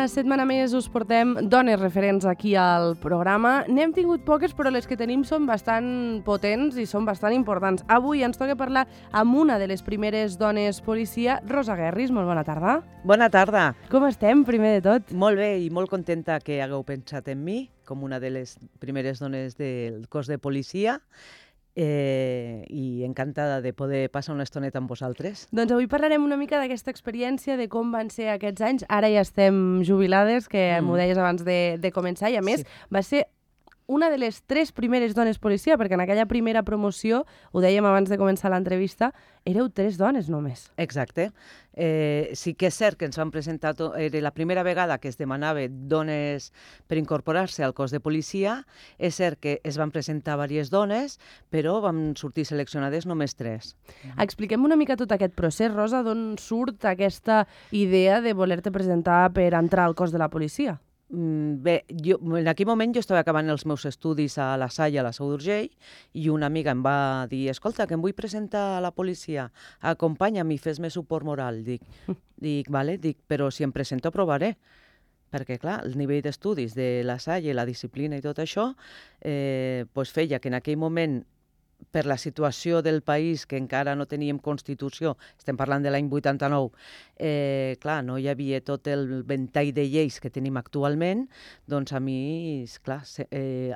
Una setmana més us portem dones referents aquí al programa. N'hem tingut poques, però les que tenim són bastant potents i són bastant importants. Avui ens toca parlar amb una de les primeres dones policia, Rosa Guerris. Molt bona tarda. Bona tarda. Com estem, primer de tot? Molt bé i molt contenta que hagueu pensat en mi com una de les primeres dones del cos de policia. I encantada de poder passar una estoneta amb vosaltres. Doncs avui parlarem una mica d'aquesta experiència, de com van ser aquests anys. Ara ja estem jubilades, que m'ho deies abans de començar, i a més va ser una de les 3 primeres dones policia, perquè en aquella primera promoció, ho dèiem abans de començar l'entrevista, éreu 3 dones només. Exacte. Sí que és cert que ens van presentar, era la primera vegada que es demanava dones per incorporar-se al cos de policia. És cert que es van presentar diverses dones, però vam sortir seleccionades només 3. Expliquem una mica tot aquest procés, Rosa, d'on surt aquesta idea de voler-te presentar per entrar al cos de la policia? Bé, en aquell moment jo estava acabant els meus estudis a la Salle, a la Seu d'Urgell, i una amiga em va dir: escolta, que em vull presentar a la policia, acompanya'm i fes-me suport moral. Dic, vale, però si em presento provaré. Perquè, clar, el nivell d'estudis de la Salle, la disciplina i tot això, feia que en aquell moment, per la situació del país, que encara no teníem Constitució, estem parlant de l'any 89, clar, no hi havia tot el ventall de lleis que tenim actualment, doncs a mi, clar,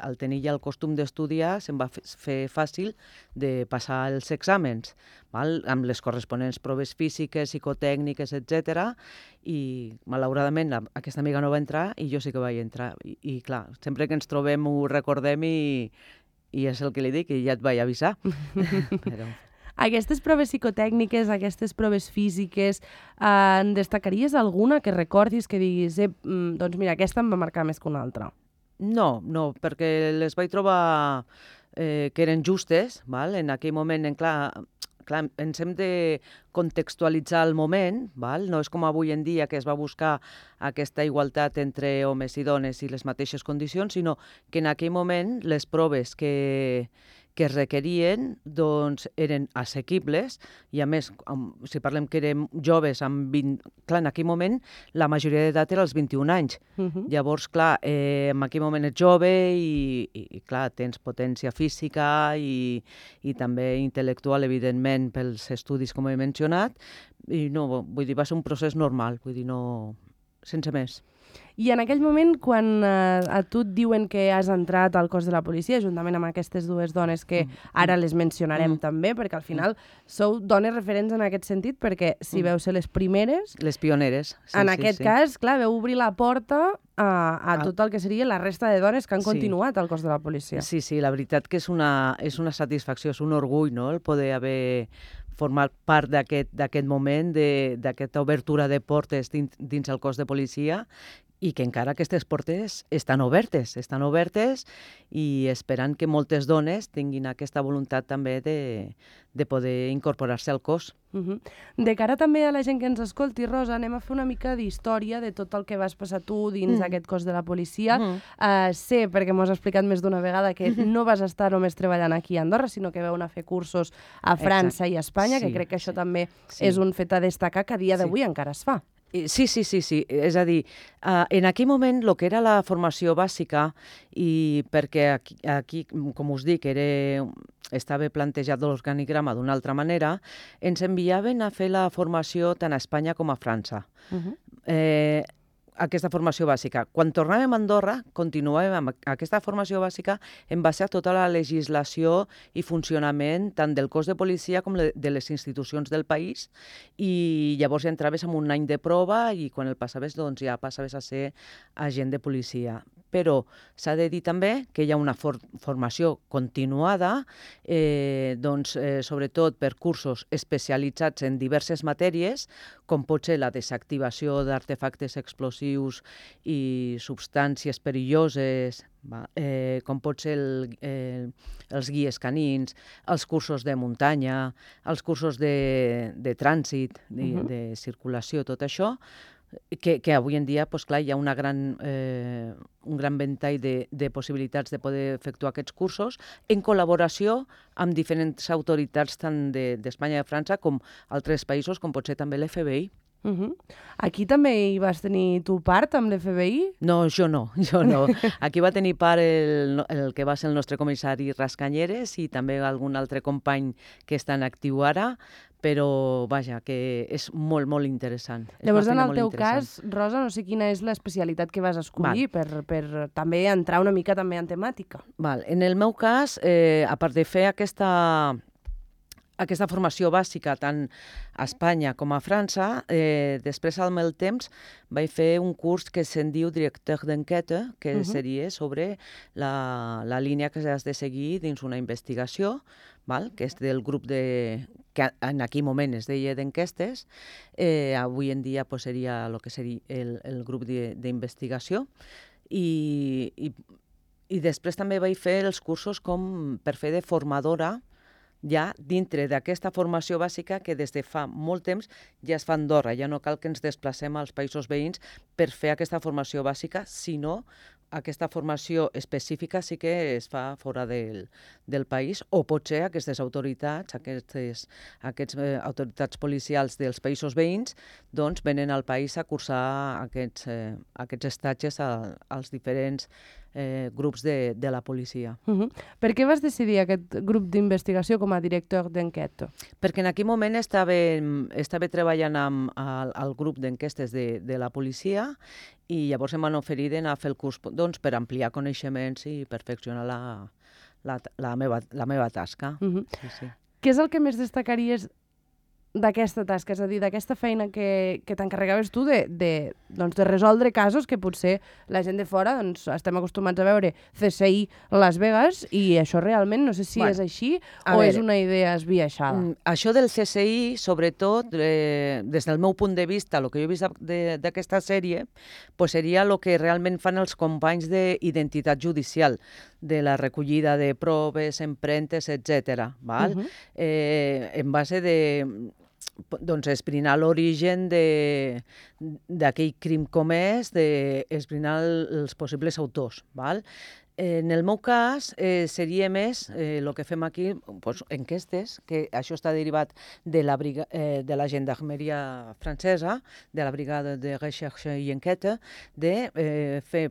al tenir ja el costum d'estudiar, se'm va fer fàcil de passar els exàmens, amb les corresponents proves físiques, psicotècniques, etc. I, malauradament, aquesta amiga no va entrar i jo sí que vaig entrar. I clar, sempre que ens trobem ho recordem i és el que li dic, i ja et vaig avisar. Però... Aquestes proves psicotècniques, aquestes proves físiques, en destacaries alguna que recordis, que diguis, doncs mira, aquesta em va marcar més que una altra? No, perquè les vaig trobar que eren justes, val? En aquell moment, clar, ens hem de contextualitzar el moment, val? No és com avui en dia que es va buscar aquesta igualtat entre homes i dones i les mateixes condicions, sinó que en aquell moment les proves que es requerien doncs, eren assequibles i, a més, si parlem que érem joves, amb 20... Clar, en aquell moment la majoria d'edat era als 21 anys. Llavors, clar, en aquell moment ets jove i clar, tens potència física i també intel·lectual, evidentment, pels estudis, com he mencionat, i no, vull dir, va ser un procés normal, vull dir, no... sense més. I en aquell moment, quan a tu et diuen que has entrat al cos de la policia, juntament amb aquestes 2 dones que ara les mencionarem també, perquè al final sou dones referents en aquest sentit, perquè si veu ser les primeres... Les pioneres. En aquest cas, clar, veu obrir la porta a tot el que seria la resta de dones que han continuat al cos de la policia. Sí, la veritat que és una satisfacció, és un orgull, no?, el poder haver format part d'aquest moment, d'aquesta obertura de portes dins el cos de policia, i que encara aquestes portes estan obertes i esperant que moltes dones tinguin aquesta voluntat també de poder incorporar-se al cos. De cara també a la gent que ens escolti, Rosa, anem a fer una mica d'història de tot el que vas passar tu dins d'aquest cos de la policia. Sé, perquè m'ho has explicat més d'una vegada, que no vas estar només treballant aquí a Andorra, sinó que vau anar a fer cursos a França i a Espanya, que crec que això també és un fet a destacar, que a dia d'avui encara es fa. Sí. És a dir, en aquell moment el que era la formació bàsica, i perquè aquí, com us dic, estava plantejat l'organigrama d'una altra manera, ens enviaven a fer la formació tant a Espanya com a França. Aquesta formació bàsica. Quan tornàvem a Andorra, continuàvem amb aquesta formació bàsica en base a tota la legislació i funcionament tant del cos de policia com de les institucions del país, i llavors ja entraves en un any de prova i quan el passaves doncs ja passaves a ser agent de policia. Però s'ha de dir també que hi ha una formació continuada, sobretot per cursos especialitzats en diverses matèries, com pot ser la desactivació d'artefactes explosius i substàncies perilloses, com pot ser els guies canins, els cursos de muntanya, els cursos de trànsit, de circulació, tot això, que avui en dia, clar, hi ha un gran ventall de possibilitats de poder efectuar aquests cursos en col·laboració amb diferents autoritats tant d'Espanya i de França com altres països, com pot ser també l'FBI. Aquí també hi vas tenir tu part amb l'FBI? No, jo no. Aquí va tenir part el que va ser el nostre comissari Rascanyeres i també algun altre company que està en actiu ara, però vaja, que és molt, molt interessant. Llavors, en el teu cas, Rosa, no sé quina és l'especialitat que vas escollir per també entrar una mica també en temàtica. En el meu cas, a part de fer aquesta formació bàsica tant a Espanya com a França, després al meu temps vaig fer un curs que se'n diu directeur d'enquête, que seria sobre la línia que has de seguir dins una investigació, que és del grup que en aquell moment es deia d'enquestes, avui en dia seria el que seria el grup d'investigació, i després també vaig fer els cursos com per fer de formadora ja dintre d'aquesta formació bàsica que des de fa molt temps ja es fa a Andorra. Ja no cal que ens desplacem als països veïns per fer aquesta formació bàsica, sinó aquesta formació específica sí que es fa fora del país, o potser aquestes autoritats, aquestes autoritats policials dels països veïns, doncs venen al país a cursar aquests estatges als diferents grups de la policia. Per què vas decidir aquest grup d'investigació com a director d'enquesta? Perquè en aquell moment estava treballant amb el grup d'enquestes de la policia i llavors em van oferir d'anar a fer el curs per ampliar coneixements i perfeccionar la meva tasca. Què és el que més destacaries d'aquesta tasca, és a dir, d'aquesta feina que t'encarregaves tu de resoldre casos que potser la gent de fora estem acostumats a veure CSI Las Vegas i això realment no sé si és així o és una idea esbiaixada. Això del CSI, sobretot, des del meu punt de vista, el que jo he vist d'aquesta sèrie, seria el que realment fan els companys d'identitat judicial, de la recollida de proves, empremtes, etc. En base esbrinar l'origen d'aquell crim comès, d'esbrinar els possibles autors. En el meu cas, seria més el que fem aquí, enquestes, que això està derivat de la gendarmeria francesa, de la brigada de recherche i enquête, de fer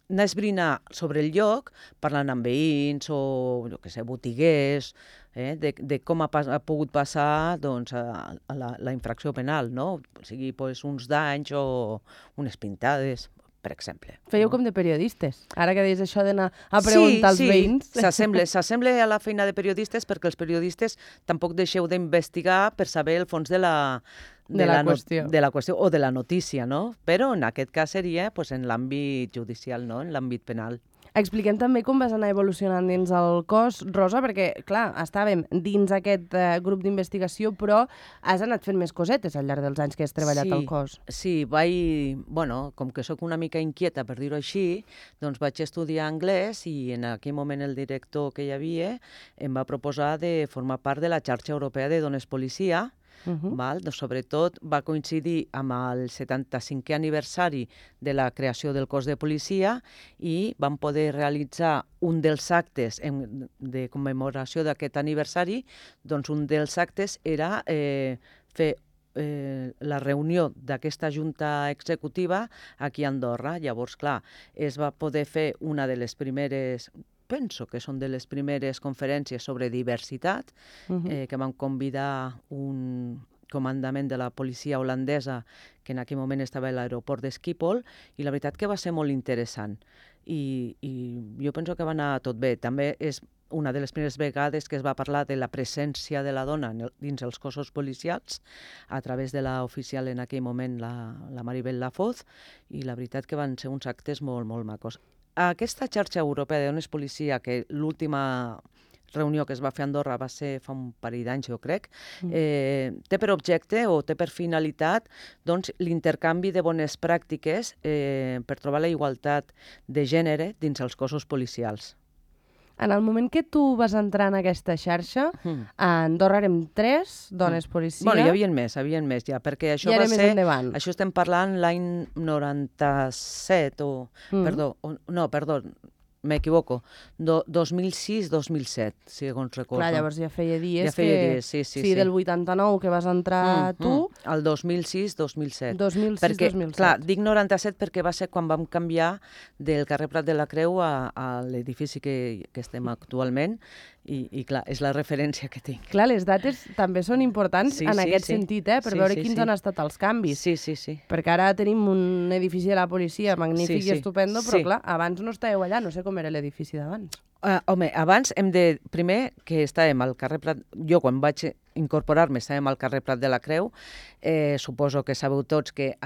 anar a esbrinar sobre el lloc, parlant amb veïns o, botiguers, de com ha pogut passar la infracció penal, no? O sigui, uns danys o unes pintades, per exemple. Fèieu com de periodistes, ara que deies això d'anar a preguntar als veïns. Sí, s'assembla a la feina de periodistes perquè els periodistes tampoc deixeu d'investigar per saber el fons de la qüestió o de la notícia, no? Però en aquest cas seria en l'àmbit judicial, no? En l'àmbit penal. Expliquem també com vas anar evolucionant dins el cos, Rosa, perquè, clar, estàvem dins aquest grup d'investigació, però has anat fent més cosetes al llarg dels anys que has treballat al cos. Sí, com que sóc una mica inquieta, per dir-ho així, doncs vaig estudiar anglès i en aquell moment el director que hi havia em va proposar de formar part de la xarxa europea de dones policia. Sobretot va coincidir amb el 75è aniversari de la creació del cos de policia i vam poder realitzar un dels actes de commemoració d'aquest aniversari. Doncs un dels actes era fer la reunió d'aquesta junta executiva aquí a Andorra. Llavors, clar, es va poder fer una de les primeres... Penso que són de les primeres conferències sobre diversitat, que vam convidar un comandament de la policia holandesa que en aquell moment estava a l'aeroport de Schiphol, i la veritat que va ser molt interessant. I jo penso que va anar tot bé. També és una de les primeres vegades que es va parlar de la presència de la dona dins els cossos policials a través de l'oficial en aquell moment, la Maribel Lafoz, i la veritat que van ser uns actes molt, molt macos. Aquesta xarxa europea de dones policia, que l'última reunió que es va fer a Andorra va ser fa un parell d'anys, jo crec, té per objecte o té per finalitat l'intercanvi de bones pràctiques per trobar la igualtat de gènere dins els cossos policials. En el moment que tu vas entrar en aquesta xarxa, a Andorra érem 3 dones policia. Bueno, hi havia més ja, perquè això va ser... Això estem parlant l'any 97 o... Perdó, m'equivoco, 2006-2007, segons recordo. Clar, llavors ja feia dies Ja feia dies, sí. Sí, del 89 que vas entrar tu. El 2006-2007. 2006-2007. Clar, dic 97 perquè va ser quan vam canviar del carrer Prat de la Creu a l'edifici que estem actualment i clar, és la referència que tinc. Clar, les dates també són importants en aquest sentit, per veure quins han estat els canvis. Sí. Perquè ara tenim un edifici de la policia magnífic i estupendo, però clar, abans no estàveu allà, no sé com era l'edifici d'abans. Home, abans hem de... Primer, que estàvem al carrer Prat... Jo, quan vaig incorporar-me, estàvem al carrer Prat de la Creu. Suposo que sabeu tots que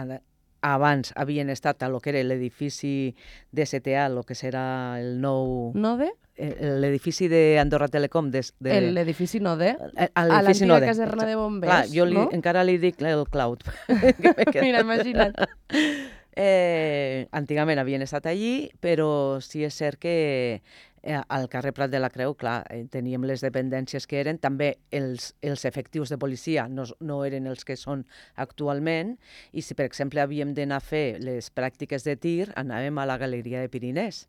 abans havien estat a lo que era l'edifici de CTA, el que serà el nou... Node? L'edifici d'Andorra Telecom. L'edifici Node? A l'edifici l'antiga caserna de bombers, clar, jo encara li dic el Cloud. Mira, imagina't. Antigament havien estat allí, però sí és cert que al carrer Prat de la Creu, clar, teníem les dependències que eren, també els efectius de policia no eren els que són actualment, i si, per exemple, havíem d'anar a fer les pràctiques de tir, anàvem a la Galeria de Pirinès.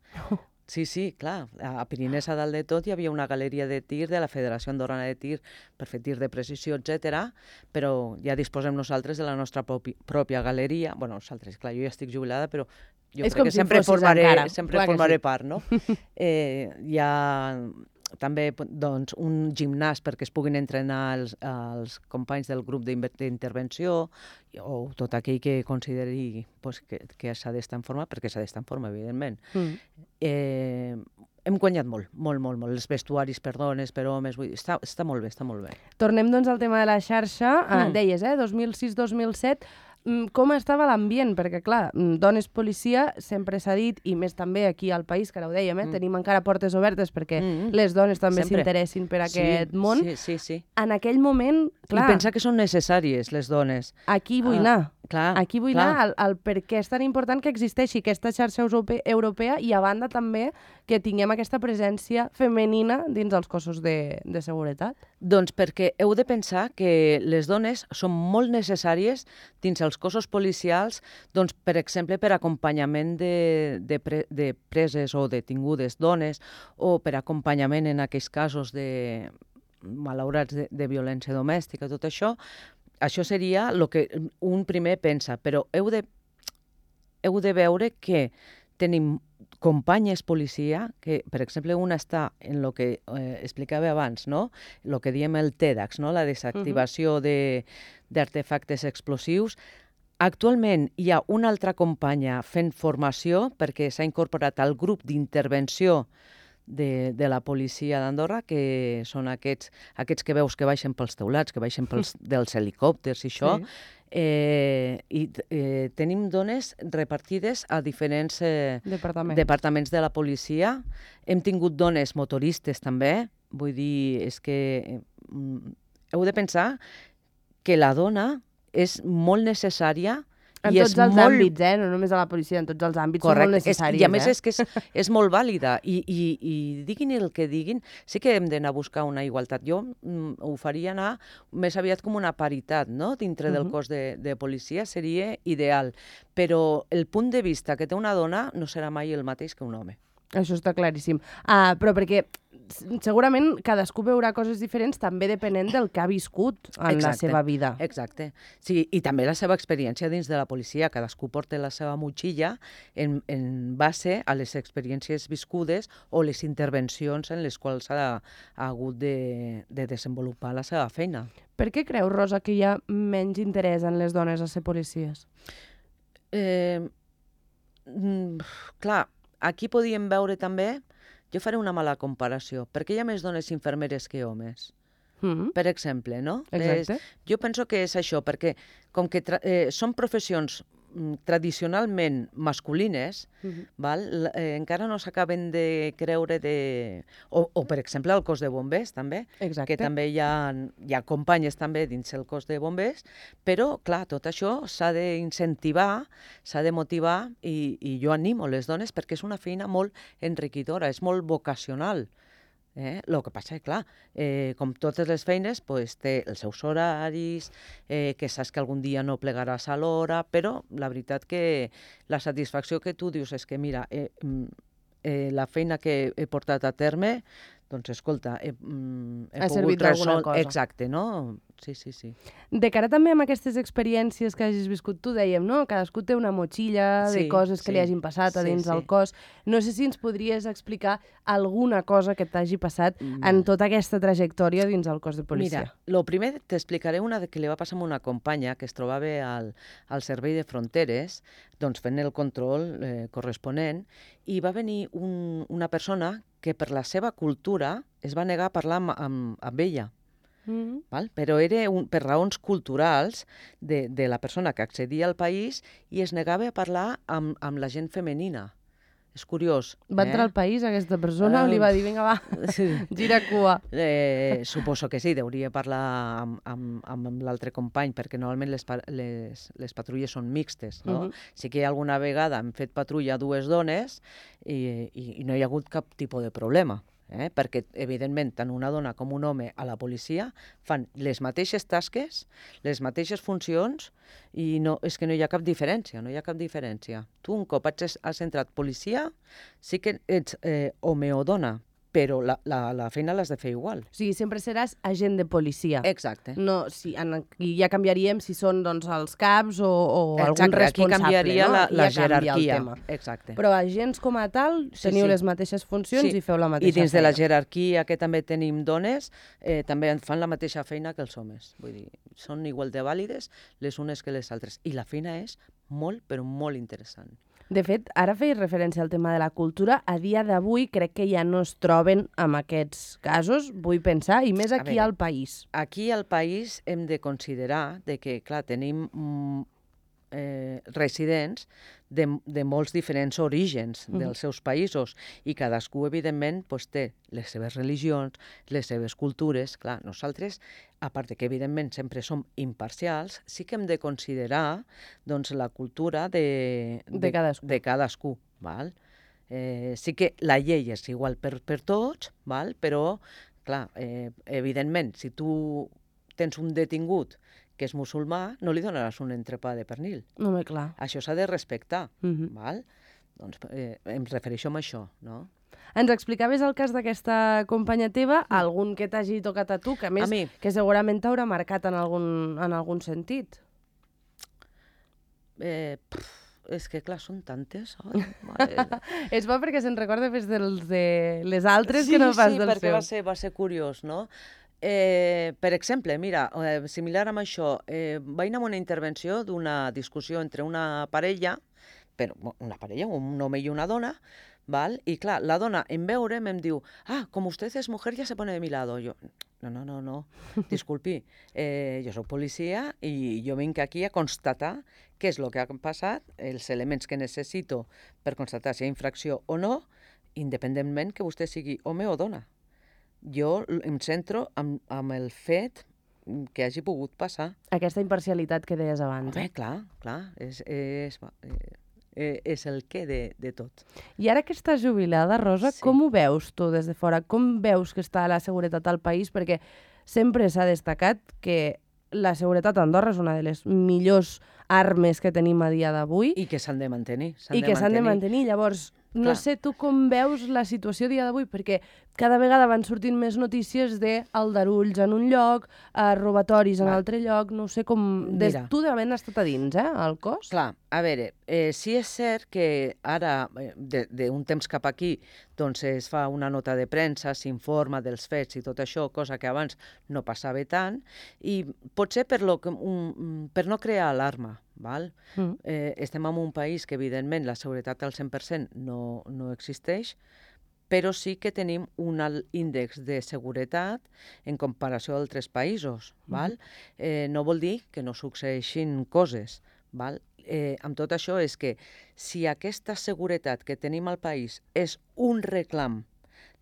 Sí, clar. A Pirinès, a dalt de tot, hi havia una galeria de tir de la Federació Andorrana de Tir per fer tir de precisió, etc. Però ja disposem nosaltres de la nostra pròpia galeria. Bueno, nosaltres, clar, jo ja estic jubilada, però jo crec que sempre formaré part, no? Hi ha també doncs, un gimnàs perquè es puguin entrenar els companys del grup d'intervenció o tot aquell que consideri que s'ha d'estar en forma, perquè s'ha d'estar en forma, evidentment. Hem guanyat molt. Els vestuaris per dones, per homes, vull dir, està molt bé, està molt bé. Tornem doncs al tema de la xarxa. Deies, 2006-2007, com estava l'ambient? Perquè, clar, dones policia sempre s'ha dit, i més també aquí al país, que ara ho dèiem, tenim encara portes obertes perquè les dones també s'interessin per aquest món. Sí. En aquell moment, clar... I pensar que són necessàries, les dones. Aquí vull anar. Aquí vull anar al per què és tan important que existeixi aquesta xarxa europea i, a banda, també que tinguem aquesta presència femenina dins els cossos de seguretat. Doncs perquè heu de pensar que les dones són molt necessàries dins els cossos policials, doncs, per exemple, per acompanyament de preses o detingudes dones, o per acompanyament en aquells casos de malaurats de violència domèstica, tot això. Això seria el que un primer pensa, però heu de veure que tenim companyes policia, que, per exemple, una està en el que explicava abans, no? El que diem el TEDx, no? La desactivació d'artefactes explosius. Actualment hi ha una altra companya fent formació perquè s'ha incorporat al grup d'intervenció de la policia d'Andorra, que són aquests que veus que baixen pels teulats, que baixen dels helicòpters i això. I tenim dones repartides a diferents departaments de la policia. Hem tingut dones motoristes també. Vull dir, és que heu de pensar que la dona és molt necessària en tots els àmbits, no només a la policia, en tots els àmbits són molt necessàries. I a més és que és molt vàlida i diguin el que diguin, sí que hem d'anar a buscar una igualtat. Jo ho faria anar més aviat com una paritat, no? Dintre del cos de policia seria ideal, però el punt de vista que té una dona no serà mai el mateix que un home. Això està claríssim. Però perquè segurament cadascú veurà coses diferents també depenent del que ha viscut en la seva vida. Exacte. Sí, i també la seva experiència dins de la policia. Cadascú porta la seva motxilla en base a les experiències viscudes o les intervencions en les quals ha hagut de desenvolupar la seva feina. Per què creus, Rosa, que hi ha menys interès en les dones a ser policies? Clar, aquí podíem veure també, jo faré una mala comparació, perquè hi ha més dones infermeres que homes, per exemple, no? Exacte. Jo penso que és això, perquè com que són professions tradicionalment masculines, encara no s'acaben de creure o, per exemple, el cos de bombers, també, que també hi ha companyes també dins el cos de bombers, però, clar, tot això s'ha d'incentivar, s'ha de motivar i jo animo les dones perquè és una feina molt enriquidora, és molt vocacional. El que passa és, clar, com totes les feines, té els seus horaris, que saps que algun dia no plegaràs a l'hora, però la veritat que la satisfacció que tu dius és que, mira, la feina que he portat a terme, doncs, escolta, he Ha pogut servit d'alguna cosa. Exacte, no? Sí, sí, sí. De cara també amb aquestes experiències que hagis viscut, tu dèiem, no? Cadascú té una motxilla de Sí, coses que li sí, hagin passat a sí, dins sí. del cos. No sé si ens podries explicar alguna cosa que t'hagi passat en tota aquesta trajectòria dins el cos de policia. Mira, lo primer t'explicaré una que li va passar a una companya que es trobava al Servei de Fronteres, doncs fent el control corresponent, i va venir una persona que per la seva cultura es va negar a parlar amb ella. Val? Però era per raons culturals de la persona que accedia al país i es negava a parlar amb la gent femenina. És curiós. Va entrar al país aquesta persona o li va dir, vinga, va, gira cua? Suposo que sí, deuria parlar amb l'altre company, perquè normalment les patrulles són mixtes, no? Sí que alguna vegada hem fet patrulla dues dones i no hi ha hagut cap tipus de problema. Perquè, evidentment, tant una dona com un home a la policia fan les mateixes tasques, les mateixes funcions, i és que no hi ha cap diferència, no hi ha cap diferència. Tu, un cop has entrat policia, sí que ets home o dona, però la feina l'has de fer igual. O sigui, sempre seràs agent de policia. Exacte. No, i ja canviaríem si són doncs, els caps o algun responsable. Aquí canviaria la jerarquia. Exacte. Però agents com a tal teniu les mateixes funcions i feu la mateixa feina. I dins de la jerarquia que també tenim dones, també fan la mateixa feina que els homes. Vull dir, són igual de vàlides les unes que les altres. I la feina és molt, però molt interessant. De fet, ara feies referència al tema de la cultura. A dia d'avui crec que ja no es troben amb aquests casos, vull pensar, i més aquí al país. Aquí al país hem de considerar que, clar, tenim residents de molts diferents orígens dels seus països i cadascú, evidentment, té les seves religions, les seves cultures. Clar, nosaltres, a part que, evidentment, sempre som imparcials, sí que hem de considerar la cultura de cadascú. Val? Sí que la llei és igual per tots, val? Però, clar, evidentment, si tu tens un detingut que és musulmà, no li donaràs un entrepà de pernil. No, clar. Això s'ha de respectar. Val? Doncs em refereixo a això, no? Ens explicaves el cas d'aquesta companya teva, algun que t'hagi tocat a tu, que a més que segurament t'haurà marcat en algun sentit. És que, clar, són tantes. És bo perquè se'n recorda més de les altres que no pas dels seus. Sí, perquè va ser curiós, no? Per exemple, mira, similar amb això, vaig anar a una intervenció d'una discussió entre una parella, un home i una dona, ¿vale? Y claro, la dona en veure'm em diu, como usted es mujer ya se pone de mi lado. Yo, no, disculpi, jo soc policia i jo vinc aquí a constatar què és el que ha passat, els elements que necessito per constatar si hi ha infracció o no, independentment que vostè sigui home o dona. Jo em centro amb el fet que hagi pogut passar. Aquesta imparcialitat que deies abans. Clar, és el què de tot. I ara que estàs jubilada, Rosa, com ho veus tu des de fora? Com veus que està la seguretat al país? Perquè sempre s'ha destacat que la seguretat a Andorra és una de les millors armes que tenim a dia d'avui. I que s'han de mantenir. S'han de mantenir. Llavors, no sé tu com veus la situació a dia d'avui, perquè cada vegada van sortint més notícies d'aldarulls en un lloc, robatoris en altre lloc, no sé com... Tu d'havent estat a dins, al cos? Clar, a veure, sí és cert que ara, d'un temps cap aquí, doncs es fa una nota de premsa, s'informa dels fets i tot això, cosa que abans no passava tant, i potser per no crear alarma. Val? Estem en un país que, evidentment, la seguretat al 100% no existeix, però sí que tenim un alt índex de seguretat en comparació a altres països. Val? No vol dir que no succeeixin coses. Val? Amb tot això és que si aquesta seguretat que tenim al país és un reclam,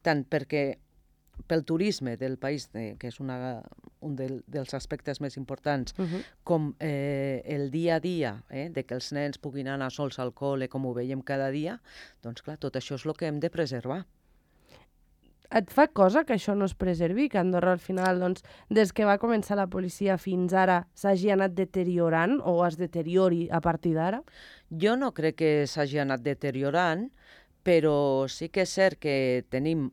tant pel turisme del país, que és un dels aspectes més importants, com el dia a dia, de que els nens puguin anar sols al col·le, com ho veiem cada dia, doncs clar, tot això és el que hem de preservar. Et fa cosa que això no es preservi, que Andorra al final, doncs, des que va començar la policia fins ara, s'hagi anat deteriorant o es deteriori a partir d'ara? Jo no crec que s'hagi anat deteriorant, però sí que és cert que tenim...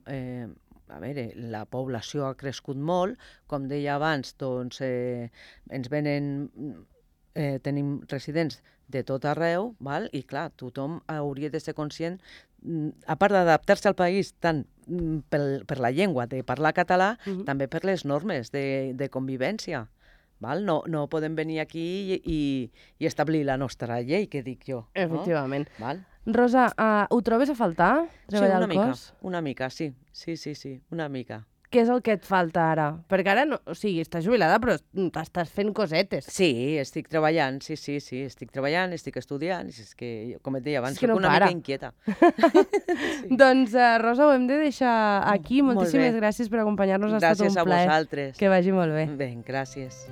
A veure, la població ha crescut molt, com deia abans, doncs ens venen, tenim residents de tot arreu, val? I clar, tothom hauria de ser conscient, a part d'adaptar-se al país tant per la llengua de parlar català, també per les normes de convivència. Val? No podem venir aquí i establir la nostra llei, que dic jo. Efectivament. No? Val? Rosa, ho trobes a faltar, treballar al cos? Una mica, sí. Sí, una mica. Què és el que et falta ara? Perquè ara, o sigui, estàs jubilada, però t'estàs fent cosetes. Sí, estic treballant, sí, estic treballant, estic estudiant, és que, com et deia abans, soc una mica inquieta. Doncs, Rosa, ho hem de deixar aquí. Moltíssimes gràcies per acompanyar-nos, ha estat un plaer. Gràcies a vosaltres. Que vagi molt bé. Bé, gràcies.